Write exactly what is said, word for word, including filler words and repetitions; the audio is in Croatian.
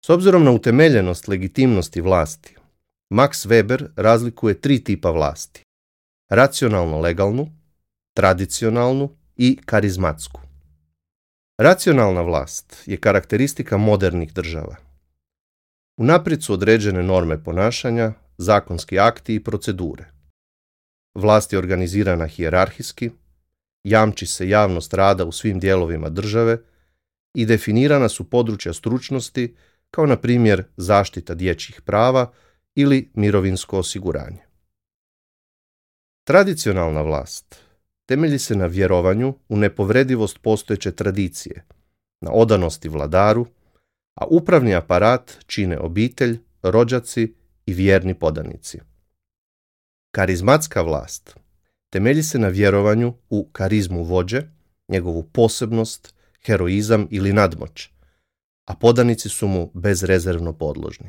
S obzirom na utemeljenost legitimnosti vlasti, Max Weber razlikuje tri tipa vlasti: racionalno-legalnu, tradicionalnu i karizmatsku. Racionalna vlast je karakteristika modernih država. Unaprijed su određene norme ponašanja, zakonski akti i procedure. Vlast je organizirana hijerarhijski, jamči se javnost rada u svim dijelovima države i definirana su područja stručnosti, kao na primjer zaštita dječjih prava ili mirovinsko osiguranje. Tradicionalna vlast temelji se na vjerovanju u nepovredivost postojeće tradicije, na odanosti vladaru, a upravni aparat čine obitelj, rođaci i vjerni podanici. Karizmatska vlast temelji se na vjerovanju u karizmu vođe, njegovu posebnost, heroizam ili nadmoć, a podanici su mu bezrezervno podložni.